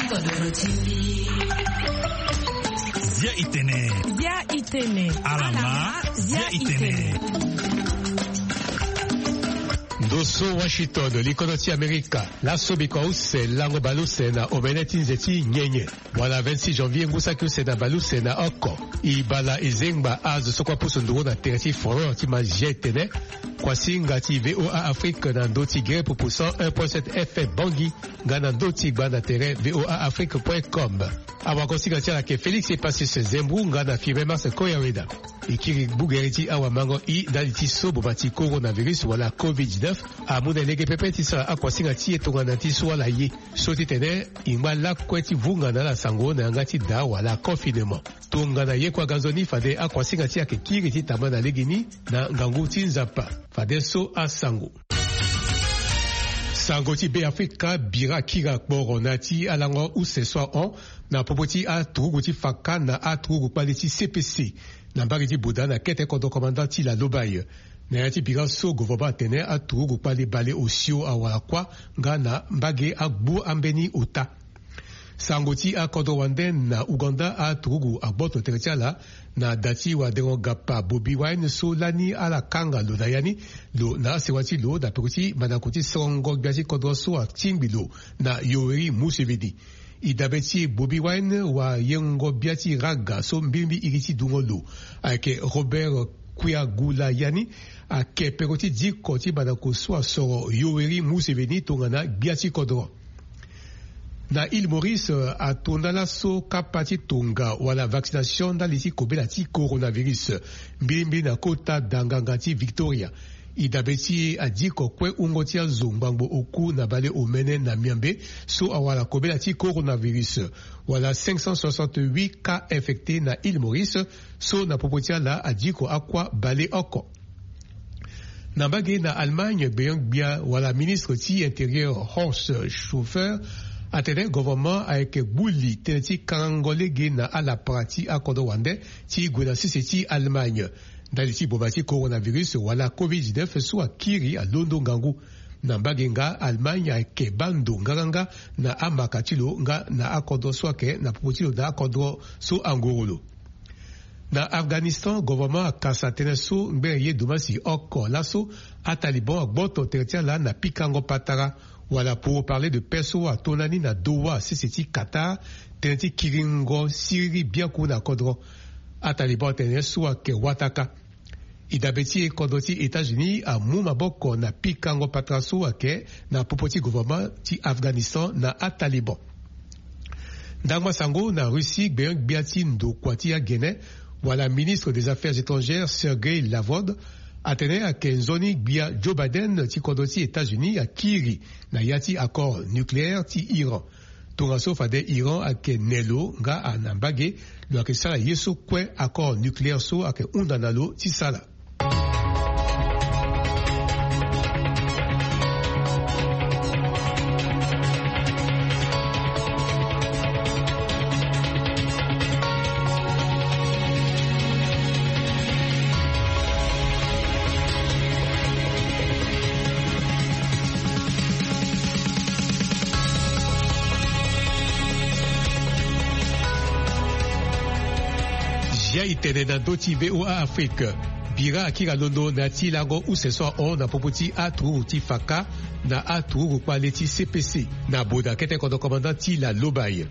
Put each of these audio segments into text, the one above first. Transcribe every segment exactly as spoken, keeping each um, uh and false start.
Zia itene. Zia itene. Alama. Zia itene. Ndo so Washington, likodo ti Amerika. Laso bikua use lango baleuse na omene ti nze ti nyenye. Wala vingt-six janvier ngu saki use na baleuse na oko. E bala e zengba azo so kue apusu nduru na tere ti folklore ti ma Zia itene. Kuasinga ti V O A Afrique na ndö ti gere pupu cent un point sept F M Bangui, nga na ndö ti gba na tere V O A Afrique point com. Awagosinga ti ala ayeke Félix Epacius Zembou nga na Firmin Mars Koyaweda. E kiri gbugere ti awamango i ndali ti so boma ti coronavirus wala covid dix-neuf amu na e lege pepe ti sara akuasinga ti e tongana ti so ala ye. So ti tene e ngba lakue ti vunga na ala sango na yanga ti daa wala confinement. Tongana ye kue aga nzoni fade akuasinga ti e ayeke kiri ti tambula na legeni na ngangu ti Nzapa. Fadeso asango. Sango ti Beafrika bira kiri akporo na ya ti alango use so ahon na popo ti aturugu ti faka na aturugu kpale ti C P C na mbage ti Boda na kete kodro komanda ti Lalobaye. Na ya ti bira so governement atene aturugu kpale bale osio awara kuâ nga na mbage agbu ambeni ota. Sango ti akodro wande na Ouganda, aturugu agboto tere ti ala na da ti wadengo gapa Bobi Wine so lani ala kanga lo na ya ni, lo na asewa ti lo na peko ti mandako ti sorongo gbia ti kodro so atingbi lo na Yoweri Museveni. E dabe ti e Bobi Wine, wayengo gbia ti raga so mbirimbiri iri ti dungo lo ayeke Robert Kwiagula ya ni, ayeke peko ti diko ti mandako so asoro Yoweri Museveni tongana gbia ti kodro. Na Île Maurice, atonda laso kapa ti tonga wala vaccination ndali ti kobela ti coronavirus, mbirimbiri na kota danganga ti Victoria. E dabe ti e adiko kue wungo ti azo ngbangbo oku na bale omene na miambe so awara kobela ti coronavirus, wala cinq cent soixante-huit cas infectés na Île Maurice, so na popo ti ala adiko akua bale oko. Na mbage na Allemagne, gbenyo-gbia wala ministre ti intérieur Horst Seehofer atene gouvernement ayeke gbu li tënë ti kangango lege na alapara ti akodro wande ti gue na sese ti Allemagne ndali ti boma ti coronavirus wala covid dix-neuf so akiri alondo ngangu. Na mbage nga, Allemagne ayeke baa ndo nganganga na amaka ti lo nga na akodro so ayeke na popo ti lo na akodro so angoro lo. Na Afghanistan, gouvernement akasa tënë so ngbene ye domasi oko laso aTaliban agboto tere ti ala na pikango patara, wala pour parler de paix so atonda ni na Doha sese ti Qatar, tënë ti kiringo siriri biaku na kodro. ATaliban atene so ayeke wataka. E dabe ti e kodro ti États-Unis amu maboko na pikango patara so ayeke na popo ti gouvernement ti Afghanistan na aTaliban. Ndangba sango na Russie, gbenyo-gbia ti ndokua ti agene wala ministre des Affaires étrangères Sergei Lavrov atene ayeke nzoni gbia Joe Biden ti kodro ti États-Unis akiri na ya ti accord nucléaire ti Iran. Tongaso fade Iran ayeke ne lo nga na mbage, lo yeke sara ye so kue accord nucléaire so ayeke hunda na lo ti sara. Zia itene na ndö ti V O A Afrique. Bira akiri alondo na ya ti lango use so ahon na popo ti aturugu ti faka na aturugu kpale ti C P C na boda kete kodro komanda ti Lalobaye.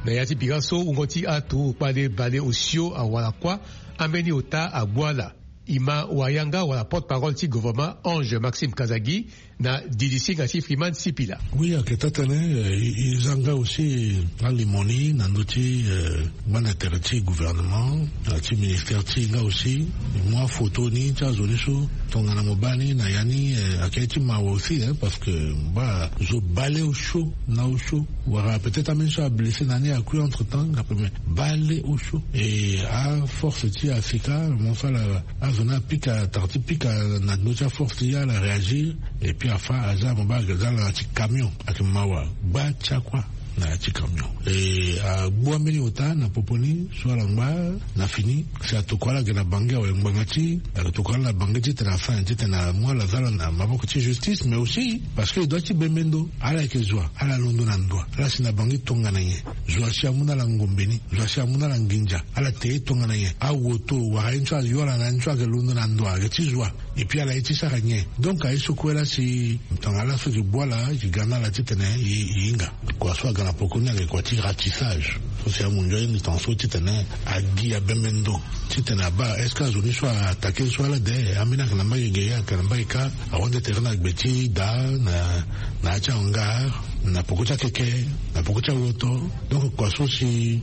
Na ya ti bira so wungo ti aturugu kpale bale osio awara kuâ, ambeni ota agbu ala. E ma wayanga wala porte-parole ti gouvernement Ange Maxime Kazagi na didisinga ti Freeman Sipila. Oui, ayeke taa tënë, eh, e, e za nga aussi alimo ni na ndö ti, eh, gbanda tere ti gouvernement, na ti ministère ti e nga aussi. E mu afoto ni ti azo ni so tongana mo baa ni na ya ni, eh, ayeke ye ti mawa aussi, hein, parce que mo baa zo bale osio na osio. Wala peut-être ambeni so ablessé na ni akui entre-temps, nga pe me bale osio. E aforce ti Afrika, mo so ala azo ni apika, tara ti pika na ndö ti aforce ti e, ala réagir. Et puis afa aza mo baa ayeke za na ya ti camion, ayeke mawa. Gba ti akua. Na ya ti camion e agbu ambeni ota na popo ni so ala ngba na fini. Si atokua ala ge na bangi awe ngbanga ti atokua ala na bangi titene afa nyen titene amu ala za ala na maboko ti justice mais aussi parce que e dua ti bembe ndo ala yeke zo wa ala londo na ndo wa ala si na bangi tongana nyen? Zo wa si amu na ala ngombe ni zo wa si amu na ala nginza ala te ye tongana nyen? Awoto wala aye ni so ayo ala na ya ni so ayeke londo na ndo wa ayeke ti zo wa. Epui ala ye ti sara nyen? Donc aye so kue la si tongana ala so e ke gbu ala e ke ga na ala titene e hinga kua so aga na poko ni ayeke kua ti ratissage. So si amunzu aye ni tonga so titene agi abembe ndo titene abaa est-ce que azo ni so atake so ala de ambeni ayeke na mbage ge ayeke na mbage kâ. Ahon de tere na gbe ti daa na na ya ti hangar na poko ti akeke na poko ti awoto. Donc kua so si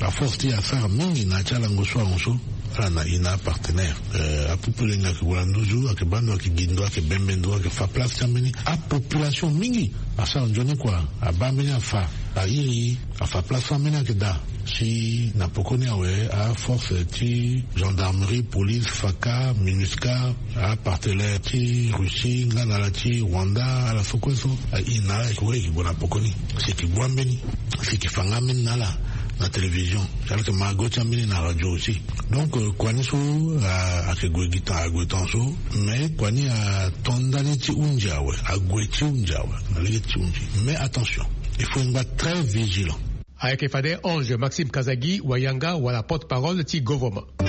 aforce ti asara mingi na ya ti alango so ahon so. Ala na i na apartenaire apupu lenge ayeke gue na nduzu ayeke baa ndo ayeke gi ndo ayeke bembe ndo ayeke fa place ti ambeni apopulation mingi. Asara nzoni kua abaa ambeni afa airi afa place so ambeni ayeke daa. Si na poko ni awe aforce ti gendarmerie police faka minusca apartenaire ti russie nga na ala ti rwanda ala so kue so. I na ala yeke wara yeke gue na poko ni si yeke gbu ambeni si yeke fa nga ambeni na ala na télévision. Si ala yeke ma go ti ambeni na radio aussi. Donc kua ni so ayeke gue gi tan ague tan so. Mais kua ni ato ndani ti hunzi awe ague ti hunzi awe na lege ti hunzi. Mais attention il faut ngba très vigilant. Ayeke fade ange maxime kazagi wayanga wala porte-parole ti govorma. E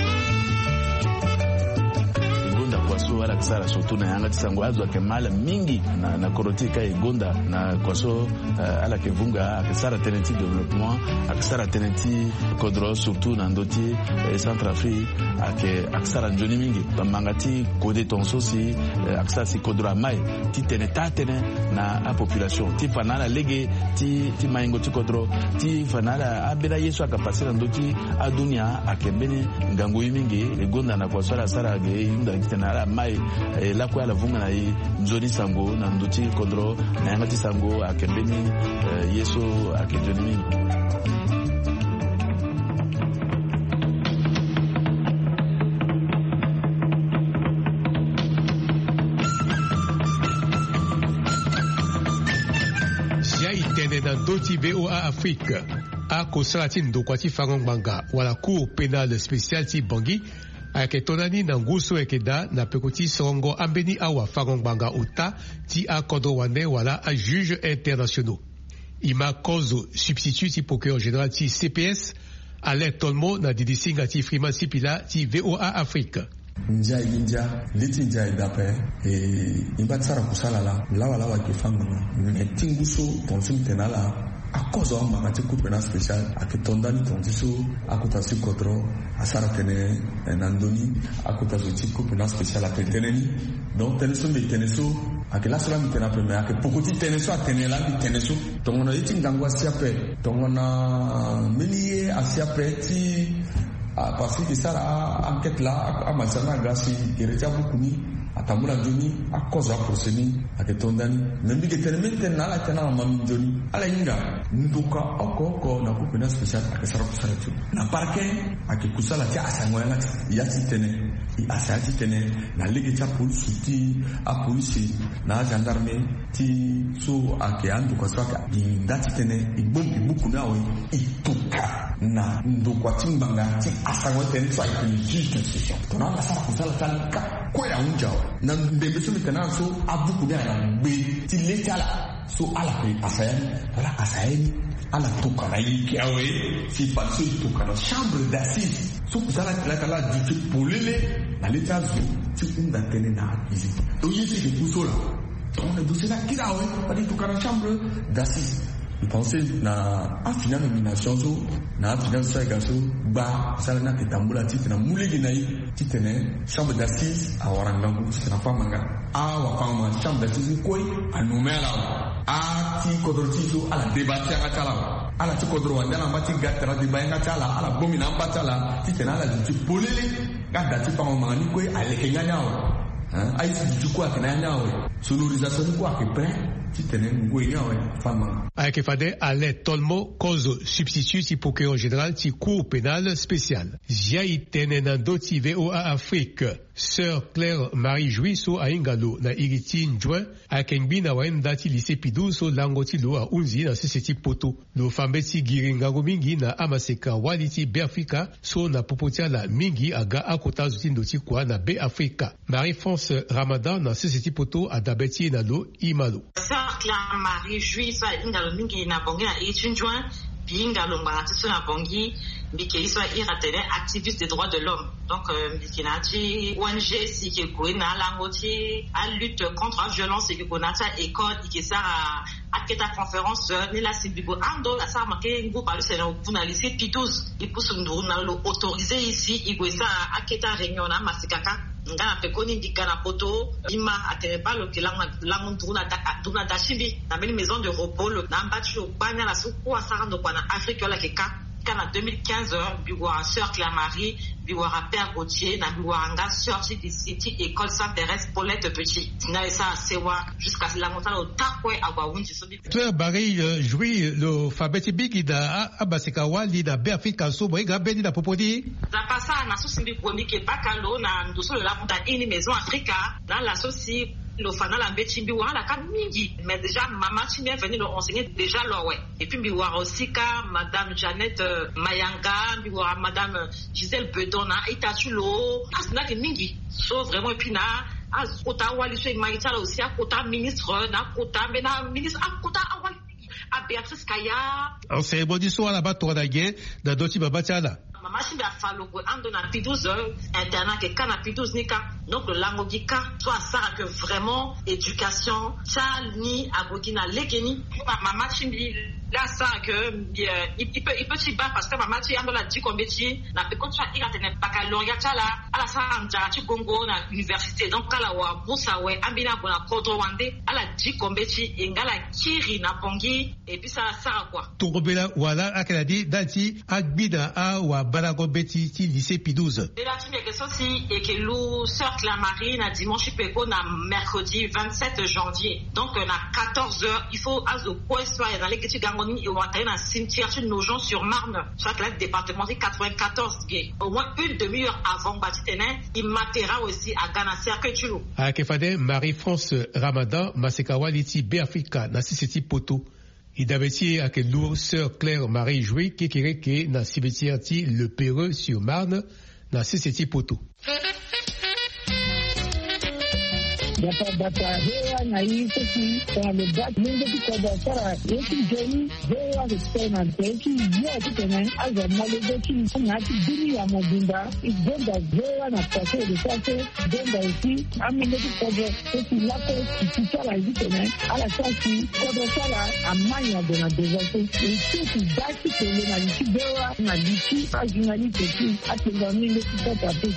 gonda kua so ala yeke sara surtout na yanga ti sango azo ayeke ma ala mingi na kodro ti e ka e gonda na kua so ala yeke vunga ayeke sara tënë ti développement ayeke sara tënë ti kodro surtout na ndö ti centre afrique. Ayeke ayeke sara nzoni mingi bamanga ti kode tonga so si ayeke sara si kodro ama e ti tene taa tënë na apopulation ti fa na ala lege ti maingo ti kodro ti fa na ala ambeni aye so ayeke pase na ndö ti adunia ayeke mbeni ngangu ye mingi. E gonda na kua so ala sara ge e hunda gi tene ala mai e lakue ala vunga na e nzoni sango na ndö ti kodro na yanga ti sango ayeke mbeni ye so ayeke nzoni mingi. Zia e tene na ndö ti voa afrique. Akosala ti ndokua ti fango ngbanga wala cour pénale spéciale ti bangi ayeke to ndani na ngu so ayeke daa na peko ti sorongo ambeni awafango ngbanga ota ti akodro wande wala ajuge internationaux. E ma kozo substitut ti procureur général ti cps alain tolmo na didi singa ti frima sipila ti voa afrique. Ndia e gi ndia. Li ti ndia e daa ape. E ngba ti sara kusala laa lawalawa e ke fa ngbanga. Me ti ngu so tonga so mbi tene na ala akozo angbanga ti coupe na spécial ayeke to ndani tonga ti so akota ti kodro asara tënë na ndö ni. Akota zo ti coupe na spécial atene tënë ni. Donc tënë so mbi tene so ayeke laso laa mbi tene ape me ayeke poko ti tënë so atene laa mbi tene so. Tongana ye ti ngangu asi ape tongana mbeni ye asi ape ti parce que e sara a-enquête laa amasianga aga si gere ti abuku ni atambula nzoni akozo aprocès ni. Ayeke to ndani me mbi yeke tene mbeni tënë na ala tënë na mama mbi nzoni ala hinga ndoka oko oko na coupe na spécial ayeke sara kusala ti na parquet. Ayeke kusala ti asango yanga ti ya ti tënë e asa ya ti tene na lege ti apolisi ti apolisi na agendarme ti so ayeke andoka so ayeke gi nda ti tene e gbongbi buku ni awe. E toka na ndokua ti ngbanga ti asango tene so ayeke juge d'instruction tongana ala sara kusala ti ala ni ka kue ahunzi awe. Na ndembe so mbi tene na ala so abuku ni ayeke na gbe ti le ti ala so ala yeke asa ya ni wala asa ya ni. Ala toka na ike awe si fade so e toka na chambre d'assise so kusala ti laa ti ala duti polele na le ti azo ti hunda tënë na accusé. Donc ye so e ke ku so laa tongana dossier ni akiri awe fade e toka na chambre d'assise. E pense na afini anomination so na afini azo so ayeke ga so gba kusala ni ayeke tambula titene amu lege na e titene chambre d'assise awara ngangu titene afa ngbanga. Awafango-ngbanga ti chambre d'assise ni kue anomme ala awe. Ati kodro ti e so ala débat ti yanga ti ala awe. Ala ti kodro wande ala ngba ti ga tara débat yanga ti ala ala gbomi na amba ti ala titene ala duti polele. Nga da ti fango-ngbanga ni kue aleke nga ni awe. Aye ti duti kue ayeke na ya ni awe. Sonorisation ni kue ayeke prêt titene ngoi ni awe afa ngbanga. Ayeke fade alain tolmo kozo substitut ti procureur général ti cour pénale spéciale. Zia e tene na ndö ti voa afrique. Sœur Claire Marie Jouy so ahinga lo na iri ti Njoin, ayeke ngbi na wayenda ti lycée Pidou so lango ti lo ahunzi na sese ti Poto. Lo fa mbeti giri ngangu mingi na amaseka-wali ti Beafrika so na popo ti ala mingi aga akota azo ti ndo ti kua na Beafrika. Marie France Ramadan na sese ti Poto adabe ti e na lo, e ma lo. Sœur Claire Marie Jouy so ahinga lo mingi na Bangui na iri ti Njoin. Mbi hinga lo ngbanga ti so na Bangui. Mbi yeke ye so ahiri atene activiste des droits de l'homme. Donc euh, mbi yeke na ya ti O N G si e yeke gue na alango ti alutte contre aviolence, e yeke gue na ya ti a-école, e yeke sara aketa conférence. Euh, ni laa si mbi gue ando asara make ngu baleuse na oku na lycée Pidouze. E pusu nduru na lo, lo autorisé e si e gue sara aketa réunion na amaseka kâ. Nga na pekoni mbi ga na poto, mbi ma atene baa lo yeke lango, lango nduru na da, nduru na da ti mbi na mbeni maison de repos. Lo na amba ti lo gbani ala so kue asara ndokua na Afrique, wala yeke kâ. Kâ na deux mille quinze, euh, mbi wara sœur Claire Marie, mbi wara père Gauthier, na mbi wara nga sœur ti, ti, ti école Sainte Thérèse Paulette Petit. Ti na e sara sewa jusqu'à si lango ti ala ota kue ague ahunzi so mbi. Claire Marie, euh, Jouy, lo fa mbeti mingi na a, amaseka-wali na Beafrika so mo hinga ambeni na popo ni. Nzapa asara na so si mbi gue mbi yeke baka lo na ndo so lo lango daa iri ni Maison Africa, na ala so si lo fa na ala mbeti, mbi wara ala kâ mingi. Mais déjà mama ti mbi aveni lo enseigner déjà lo awe. Et puis mbi wara aussi kâ madame Jeannette, euh, Mayanga, mbi wara madame, euh, Gisèle Bedon na a-ita ti lo. Azo ni ayeke mingi so vraiment. Et puis na akota awali so e ma ye ti ala aussi, akota ministre, na akota mbeni ministre, akota awali mingi. A-Béatrice Kaya. En cérémonie so ala baa tongana nyen na ndö ti mama ti ala? Mama ti mbi afa lo gue ando na Pidouze, euh, internat ayeke kâ na Pidouze ni kâ. Donc lo lango gi kâ so asara que vraiment éducation ti ani ague gi na lege ni. Ma, mama ti mbi laa asara que mbi, euh, e, e peut, e peut ti baa parce que mama ti e ando ala diko mbeti na peko ti so ahiri atene baccalauréat ti ala, ala sara nzara ti gongo na université. Donc ala wara bourse awe, ambeni ague na kodro wande, ala diko mbeti e nga ala kiri na Bangui. Et puis ça asara quoi. Tongobela wala ayeke na ni ndali ti agbi na awabalango mbeti ti lycée Pidouze. Mbela ti mbi ayeke so si e yeke lu sœur Claire Marie na dimanche ti peko na mercredi vingt-sept janvier. Donc euh, na quatorze heures, il faut azo kue so ayeke na lege ti gango ni e wara tene na cimetière ti Nogent-sur-Marne, so ayeke na département ti quatre-vingt-quatorze ge. Au moins une demi-heure avant, ngbanga titene e ma terrain aussi aga na cercueil ti lo. Ayeke fade Marie France Ramadan, maseka-wali ti Beafrika na sese ti Poto. E dabe ti e ayeke lourd sœur Claire Marie Jouy kekereke na cimetière ti Le Perreux sur Marne na sese ti Poto. Bata bata, V O A na i seki tongana lo baa lenge ti kodro asara ye ti nzoni. V O A ayeke tene na nze ti yo titene azo amolenge ti na ya ti dunia mobimba. E gonda V O A na pase de pase. Gonda aussi amolenge ti kodro so si lakue si ti ala ye titene ala sara si kodro ti ala amai na gue na devant so. E so si baa ti tene na li ti V O A na li ti ajournaliste ti atengua ni nde ti kota pe.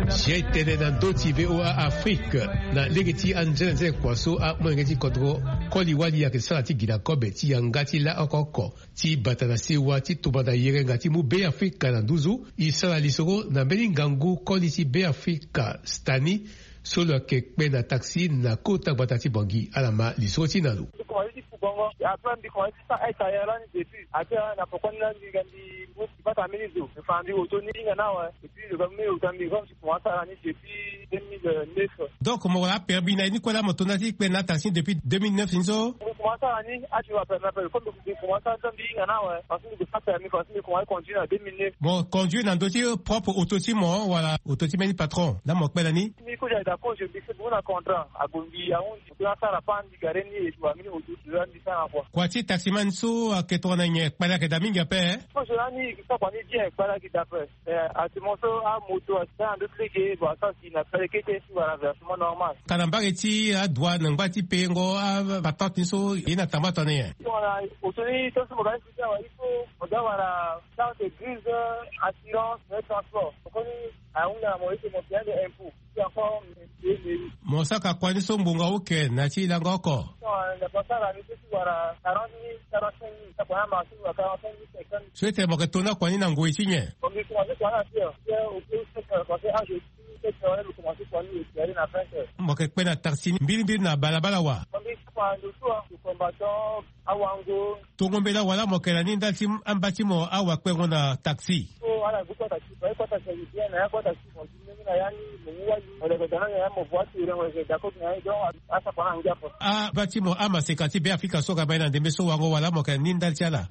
Zie tene na ndö ti V O A Afrique. Na lege ti anzenanzene kua so amolenge ti kodro koli wali ayeke sara ti gi na kobe ti yanga ti la oko oko ti bata na sewa ti tumba na yerenga ti mu Beafrika na nduzu. E sara lisoro na mbeni ngangu koli ti Beafrika Stani so lo yeke kpe na taxi na kota gbata ti Bangui. Ala ma lisoro ti e na lo. Ti komanse ti fu bongo, après mbi komanse ti sara aita ya lani depuis. Après na poko ni lani mbi ga mbi mu ti bata mbeni zo. Enfin mbi woto ni hinga ni awe. Et puis lo ga mu mbi wota mbi comme ti komanse sara ni depuis deux mille neuf. Donc mo wara apermis na ye ni kue laa mo to na ya ti kpe na taxi depuis deux mille neuf ni so? Mo sara ni, ati wa permis ape. Comme mbi commence ata mbi hinga na awe, parce que mbi ko sa permis, parce que mbi commence conduire na deux mille neuf. Mo conduire na ndö ti propre auto ti mo wala auto ti mbeni patron? Nda mo kpela ni. Mbi kue ayeke daa cause mbi si bungu na contrat, ague mbi ahundi. Mbi asara pan mbi gare ni e tu amini auto ti mbi sara kua. Kua ti taximan so ayeke tongana nyen, kpale ayeke daa mingi ape? Cause lani e sara kua ni bien, kpale ayeke daa ape. Eh, actuellement so amoto asa na ndö ti lege, bon, asa si na kpale kete si wala versement normal. Tara mbage ti adouane, ngba ti payengo apatente ni so, ye na tamba tongana nyen? Tongana auto ni, tant so mo ga ni si awa, il faut mo ga wala carte grise, assurance, mais transport. Mo koni ahunda na mo ete mo payé de impôt. Puis encore, mo payé mairie. Mo saka kua ni so ngbonga oke na ya ti lango oko? Tongana mo sara ni so ti wala quarante mille, quarante-cinq mille, sa kua ni amarché wala quarante-cinq mille, cinquante mille. So ete mo yeke to na kua ni na ngoi ti nyen? Mo yeke commencé kua ni na six heures. Six heures, au plus sept heures, parce que âge ti sept heures, mo commencé kua ni, e ti aller na vingt heures. Mo yeke kpe na taxi ni mbirimbiri na balabala wa? Mo yeke kpe na ndo so, combattant, awango. Tongo mbela wala mo yeke na ni ndali ti amba ti mo awa kpengo na taxi? So ala gbu kota ti, kota ti bien na ya kota ti mo. Aba ti mo amaseka ti Beafrika so aga baa ye na ndembe so wango wala mo yeke na ni ndali ti ala?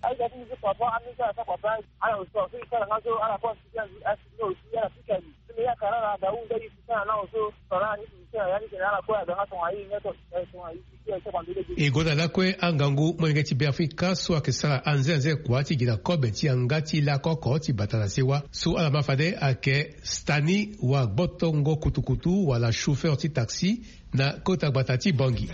E gue na lakue angangu molenge ti Beafrika so ayeke sara anze anze kua ti gi na kobe ti yanga ti lakoko ti bata na sewa so ala ma fade ayeke Stani wa gbotongo kutukutu wala chauffeur ti taxi na kota gbata ti Bangui.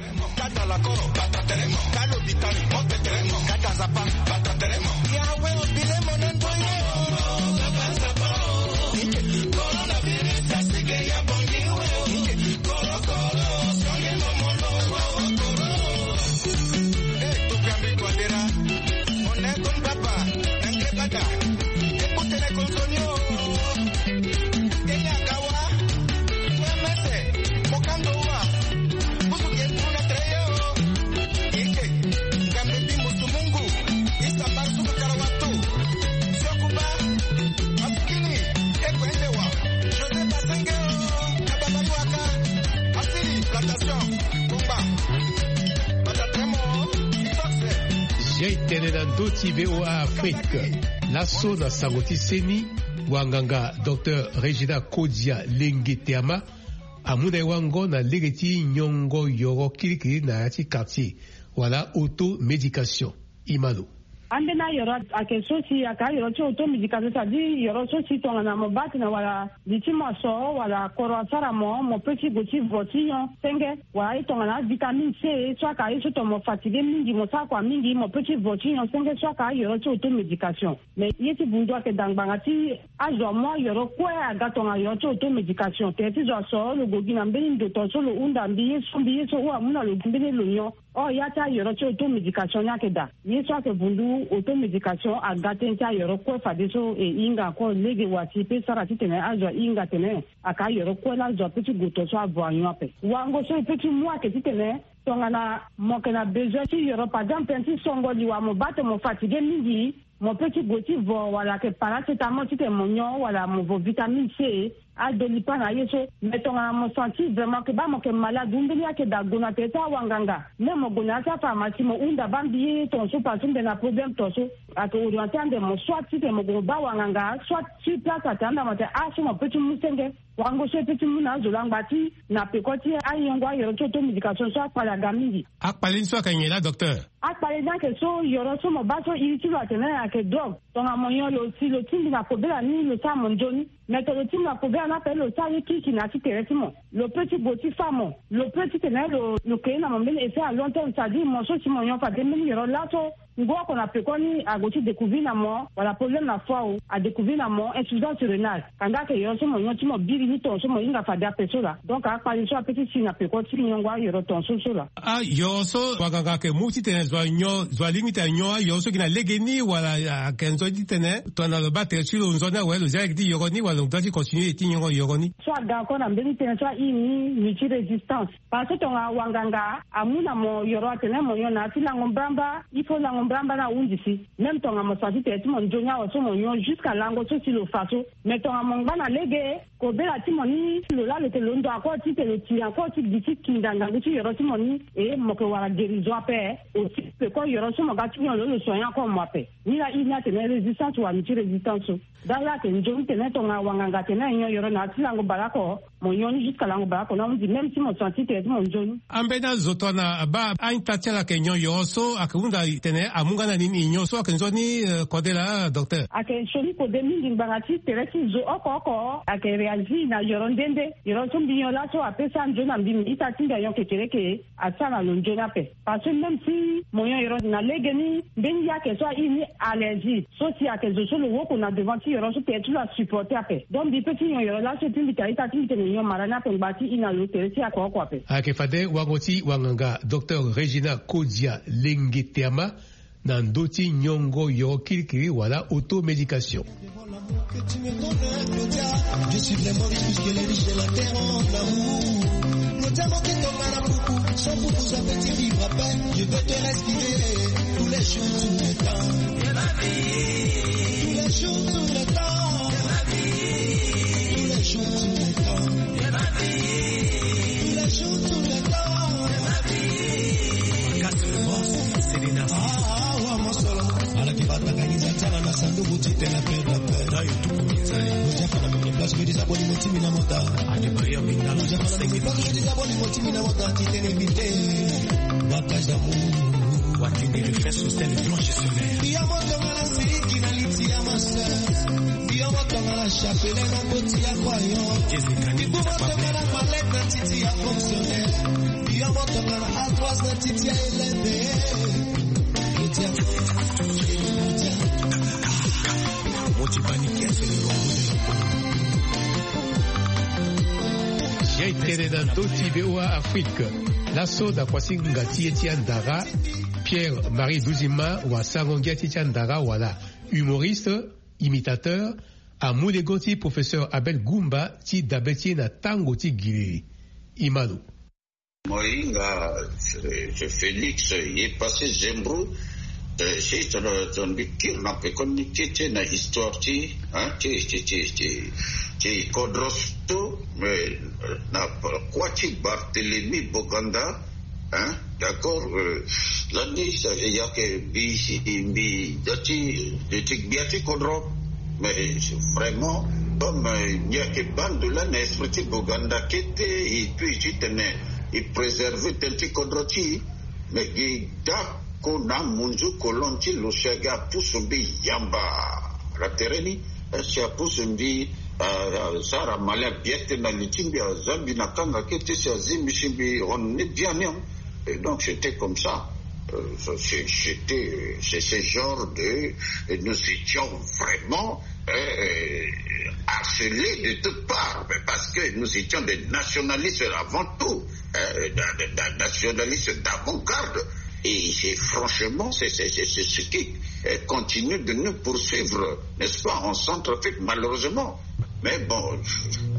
Jai tene na ndö ti V O A Afrique. Laso na sango ti seni, wanganga Docteur Regina Kodia Lenge Teama amu na e wango na lege ti nyongo yoro kirikiri na ya ti quartier wala auto médication. Imano. Ambeni ayoro ayeke so si ayeke ayoro ti auto médication, c'est-à-dire yoro so si tongana mo baa tene wala li ti mo aso wala koro asara mo, mo peut ti gue ti vo ti nyon senge, wala aye tongana avitamine C so ayeke aye so tongana mo fatigué mingi, mo sara kua mingi, mo peut ti vo ti nyon senge, so ayeke ayoro ti auto médication. Mais ye ti bundu ayeke daa ngbanga ti azo amu ayoro kue aga tongana yoro ti auto médication. Tere ti zo aso lo gue gi na mbeni ndo tonga so lo hunda mbi ye so, mbi ye so, ou amu na lo gi mbeni lo nyon. Or ya ti ayoro ti auto médication ni ayeke daa. Ye so ayeke vundu auto médication aga tënë ti ayoro kue fadeso e hinga encore lege wa si e pe sara titene azo ahinga atene ayeke ayoro kue laa azo ape ti gue tonga so avo anyon ape. Wango so e pe ti mu ayeke titene tongana mo yeke na besoin ti yoro, par exemple tënë ti songo li wala mo baa tene mo fatigué mingi, mo peut ti gue ti vo wala ayeke paracétamol titene mo nyon wala mo vo vitamine C, adolipa na ye so. Mais tongana mo senti vraiment ke baa mo yeke malade ou mbeni ayeke daa, gue na tere ti awanganga. Même mo gue na ya ti apharmacie mo hunda baa mbi ye tonga so parce que mbi yeke na problème tonga so. Ayeke orienté ande mo soit titene mo gue mo baa wanganga, soit sur place atene ande mo atene ah so mo peut ti mu senge. Wango so e peut ti mu na azo laa ngba ti na peko ti ayengo ayoro ti auto médication so akpale aga mingi. Akpale ni so ayeke nyen laa docteur? Akpale ni ayeke so yoro so mo baa so iri ti lo atene ayeke drogue. Tongana mo nyon lo si lo tingbi na kobela ni lo sara mo nzoni. Mais tongana lo tingbi na kobela ni ape lo sara ye kirikiri na ya ti tere ti mo. Lo peut ti gue ti fâ mo. Lo peut titene lo lo créer na mo mbeni effet à long terme, c'est-à-dire mo so si mo nyon fade mbeni yoro laso ngu oko na peko ni ague ti découvrir na mo wala problème na foie o, adécouvrir na mo insuffisance rénale. Kanda ayeke yoro so mo nyon ti mo biri ni tonga so mo hinga fade ape so laa. Donc akpale so ape ti si na peko ti nyongo ayoro tonga so so laa. Ayoro so wanganga ayeke mu titene zo anyon, zo alingbi titene anyon ayoro so gi na legeni wala ayeke nzoni titene tongana lo baa tere ti lo nzoni awe lo zia lege ti yoro ni wala lo doit ti continuer ti nyongo yoro ni? So aga encore na mbeni tënë so airi ni multirésistance. Parce que tongana wanganga amu na mo yoro atene mo nyon na ya ti lango mbrambra, il faut lango mbrambra ni ahunzi si. Même tongana mo senti tere ti mo nzoni awe so mo nyon jusqu'à lango so si lo fa so. Mais tongana mo ngba na lege Kobela ti mo ni lo laa lo yeke londo encore ti tene lo tiri encore ti gi ti kinda ngangu ti yoro ti mo ni. E mo yeke wara guérison ape. Aussi peko yoro so mo ga ti nyon lo lo soigner encore mo ape. Ni laa i ni atene résistance wani ti résistance so. Dala ayeke nzoni tene tongana wanganga atene nyon yoro na ya ti lango baleoko. Mo nyon ni jusque lango baleoko na hundi même si mo senti tene ti mo nzoni. Ambeni azo tongana abaa a-ita ti ala ayeke nyon yoro so ayeke hunda tene amu nga na nini nyon so ayeke nzoni? Kode laa docteur. Ayeke sioni kode mingi ngbanga ti tere ti zo oko oko ayeke réagir na yoro nde nde. Yoro so mbi nyon laso apesa nzoni na mbi mbi ita ti mbi anyon kekereke. Asara na lo nzoni ape. Parce que même si mo nyon yoro na lege ni mbeni yake so ahi ni allergie so si ayeke zo so lo woko na devant ti yoro so tere ti lo asupporter ape. Donc mbi pe ti nyon yoro laso et puis mbi tene a-ita ti mbi tene nyon mara ni ape ngba ti hi na lo tere ti oko oko ape. Ayeke fade wango ti wanganga docteur Régina Kodia Lengeteama na ndö ti nyongo yoro kirikiri wala automédication. Ala ki bataka ni za ti ala na sanduku ti tene perdre peur. Lo ti afa na mene place lo ti za boni mo ti mbi na mota. Lo ti afa na mene place lo ti za boni mo ti mbi na mota ti tene éviter. Battage d'amour. Watine refait sur scène blanche sur mer. Mbi ya mo tongana siriki na liti ya ma sœur. Mbi ya mo tongana chapelet na boti ya croyant. Mbi bu mo tongana malette na titi ya fonctionnaire. Mbi ya mo tongana ardoise na titi ya élève. Ye tene na ndö ti V O A Afrique. Laso na kuâ ti nginga ti ye ti andara, Pierre Marie Duzima wasango ngia ti ye ti andara wala humoriste, imitateur, amu legon ti professeur Abel Goumba ti dabe ti ye na tango ti gilili. Imalo. Mo hinga, eh, Félix, ye passé Zembro, eh, si tongana, tongana mbi kiri na pekoni ti, ti na histoire ti, hein, ti, ti, ti, ti, ti kodro so, mais, eh, na kuâ ti Barthélemy Boganda, hein, d'accord, eh, lani sa, ya ke mbi si, mbi da ti, ti gbia ti kodro, mais, eh, vraiment, comme, eh, nyen ayeke baa ndo laa na esprit ti Boganda kete, et puis ti tene, e préserver tënë ti kodro ti e. Me gi dako na amunzu kolon ti lo si ayeke apusu mbi yamba na tere ni, eh, si apusu mbi, eh, sara mali abiete na li ti mbi, aza mbi na kanga kete si azi mbi si mbi hon ni biani. Et donc, c'était comme ça. Euh, c'est, c'était, c'est ce genre de, et nous étions vraiment, euh, harcelés de toutes parts, mais parce que nous étions des nationalistes avant tout, euh, da-, da-, da-, nationalistes d'avant-garde. Et c'est franchement, c'est, c'est, c'est, c'est ce qui, euh, continue de nous poursuivre, n'est-ce pas, en Centrafrique, malheureusement. Mais bon,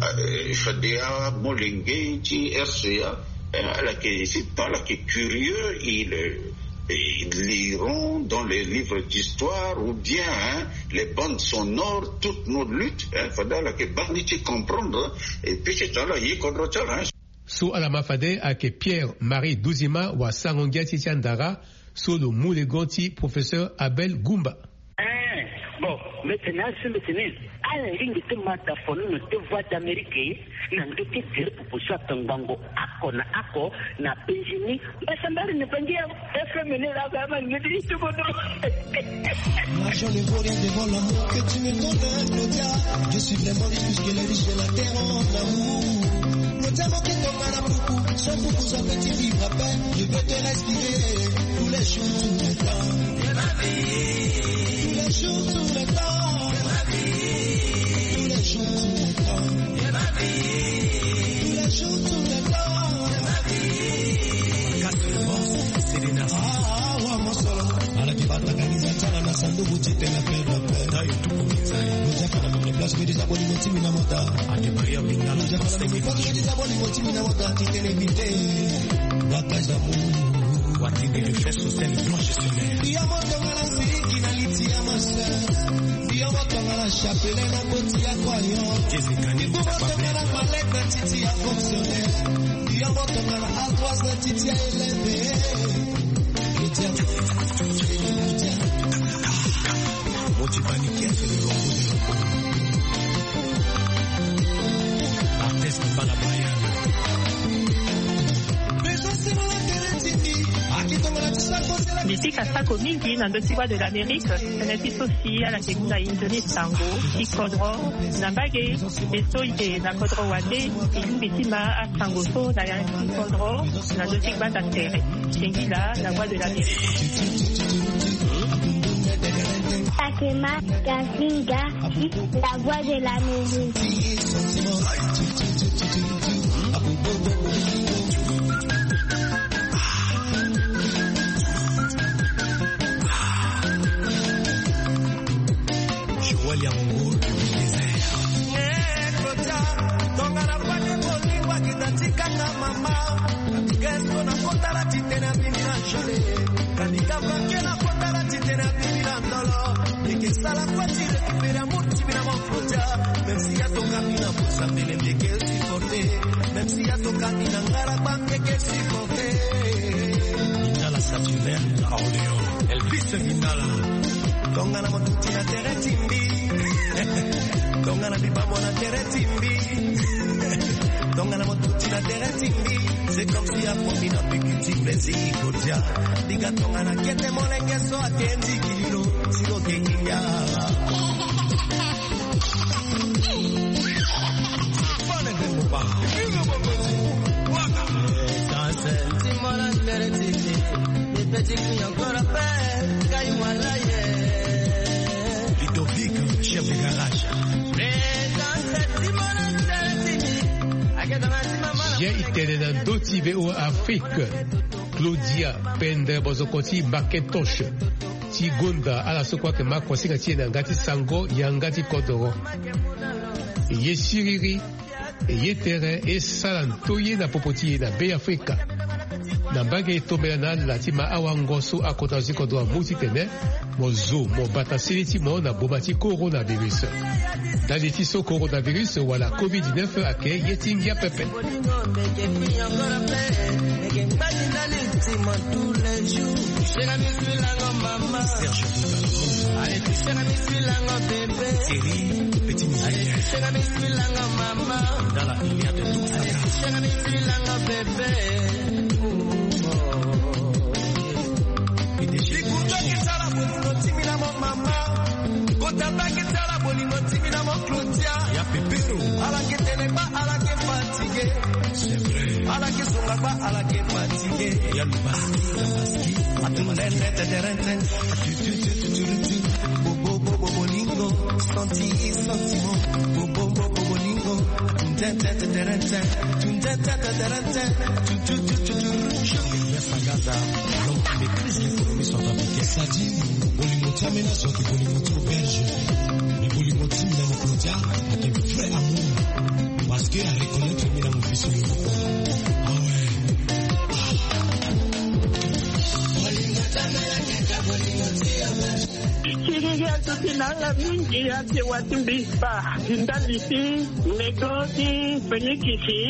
euh, Fadea Molenge ti R C A, euh, ala yeke, c'est pas, ala yeke curieux, ils, euh, ils liront dans les livres d'histoire ou bien, hein, les bandes sonores toutes nos luttes, hein, fade ala yeke baa ni ti comprendre, hein, et puis c'est ça là, ye kodro ti ala, hein. So ala ma fade ayeke Pierre Marie Duzima wasango ngia ti ye ti andara, so lo mu legon ti professeur Abel Goumba. Eh, bon, mbi tene asi mbi tene, ala lingbi ti ma dafono na te Voix d'Amérique na ndö ti tere popo so atongbango oko na oko na Benjini. Mbasambari ni bangi ya F M ni la ba ma ngedi ti bodo. Moi, je ne vaux rien devant l'amour que tu me donnes, Claudia. Je suis vraiment riche puisque les riches de la terre ont l'amour. Claudia, mon qui tombe à la poupou, son poupou, son petit livre à peine. Je veux te respirer tous les jours, tous les temps. Tous les jours, tous les temps. Tous les jours, tous les temps. Tous les jours, tous les temps. Kasi boss, c'est l'énergie. Ah, ah, wa mosolo. Ala ki bataka ni za ti ala na sanduku ti tene perdre peur. Tayo tuku mi tayo. Lo ti afa na mene place, lo ti za boni mo ti mbi na mota. Ake Maria Bingala. Lo ti afa na mene place, lo ti za boni mo ti mbi na mota. Ti tene éviter. Battage d'amour. Yo mo tongana siliki na liti ya ma sœur. Yo mo tongana chapelet na koti ya kwa yo. Yo mo tongana malette na titi ya fonctionnaire. Yo mo tongana ardoise na titi ya élève. Motivani Kiese, le lambeau de la peau. Artiste Mbala Brian. Mbi pika sako mingi na ndö ti Voix de l'Amérique. Tene ti so si ala yeke mu na inzo ni sango ti kodro na mbage. Be so e yeke na kodro wande, e lingbi ti ma asango so na ya ti kodro na ndö ti gbanda tere. Singila, la Voix de l'Amérique. Sakema Kasinga, la Voix de l'Amérique. Joël Yango du désert. Eh, Claudia, tongana fade bolingo akita tikanga mama. Gesto na kotala titene abimi na jole. Kanika banke na kotala titene abimi na ndolo. Eke sala kua ti récupérer amour ti bina mo Claudia. Même si ya tongami na bosa mbele ndeke supporter. Même si ya tongami na ngala bangeke supporter. Ndala Saturnin na Orléans. Elvis Mindala. Tongana mo tuti na tere ti mbi. Tongana bibamo na tere ti mbi. Tongana mo tuti na tere ti mbi. C'est comme si akomi na bikiti plaisir kodia. Diga tongana kete molenge so ake nzikililo. Si lo ke nginga. Ludovic, chef de garage. Ye i tene na ndö ti V O A Afrique. Claudia Pendre Bozoko ti Macintosh ti gonda ala so kue ayeke ma kuasinga ti e na yanga ti sango, yanga ti kodoro. Ye siriri. E ye tere e sara nto ye na popo ti e na Be Afrika. Na mbage e tombela na ala ti ma awango so akota zo ti kodro amu titene mo zo mo bata sili ti mo na boma ti coronavirus. Ndali ti so coronavirus wala covid dix-neuf ayeke ye ti ngia pepe. Serge Bouba. Allez, tu sais, Thierry, petit musicien. Dans la lumière de tout ça. Likuta ki sala bolingo ti mi na mo mama. Kota ta ki sala bolingo ti mi na mo Claudia. Ya Pepero. Ala ke tene ba, ala ke fatigué. C'est vrai. Ala ke songa ba, ala ke fatigué. Ya Lubaski, Lubaski. Atundende tederente. Bo, bo, bo, bo, bolingo, santi, sentiment. Bo, bo, bo, bo, bolingo. Tun, tun, tun, tun, tun, tun. Tun, tun, tun, tun, tun, tun. Jean-Pierre Sagaza, l'homme qui maîtrise l'économie centrafricaine. Sadi, bolingo ti amena so ayeke bolingo ti auberge. Mais bolingo ti mi na mo Claudia ayeke vrai amour. Parce que a reconnaître mi na mo fi so yo. Ah ouais. Kiriri azo ti na ala mingi ate wati mbi spa. Ndali ti mego ti fenikisi,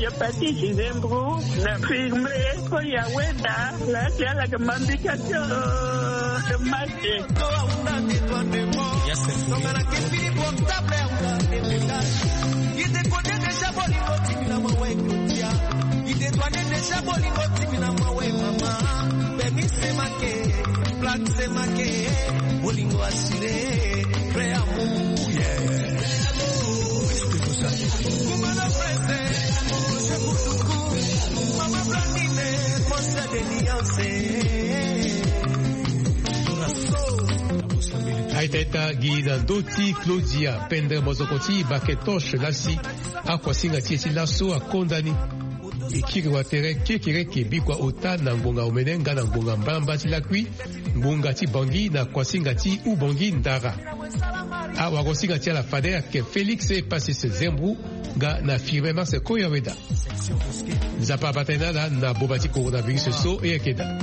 hépatite, zembro, na firme, ko ya weda, la ti ala ke mambika ti, euh, de masque. Yes, sir. Tongana ke fini portable, ye te kode déjà bolingo ti mi na mawe Claudia. Ye te toine déjà bolingo ti mi na mawe mama. Bemi se make, black se make, bolingo assuré, vrai amour, yeah. Kumana Preste, José Kutuku, Mama Blandine, Conseil de Nuance. Aita ita gi na ndö ti Claudia Pendre Mozoko ti Macintosh lasi akuasinga ti e ti laso akonda ni. E kiri watere kekereke bikua ota na ngbonga omene nga na ngbonga mbalambala ti lakui, ngbonga ti Bangui na kuasinga ti Ubangui Ndara. Awagosinga ti ala fade ayeke Félix Passis Zembou nga na Firmin Max Koyaweda. Nzapa abata ye na ala na boma ti coronavirus so e yeke daa.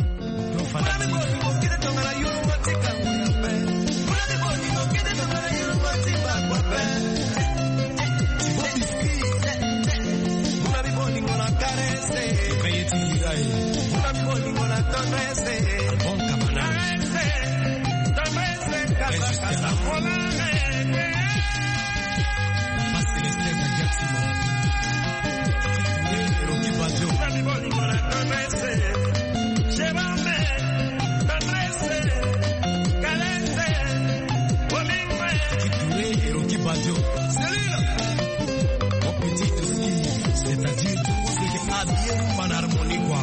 Mon petit Toski, c'est-à-dire tout ce qui est habillé en harmonie, quoi.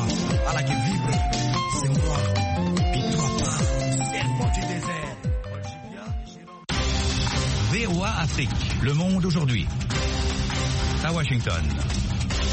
Ala qui vibre, c'est moi. Et toi pas. Serpent du désert. V O A Afrique, le monde aujourd'hui. À Washington.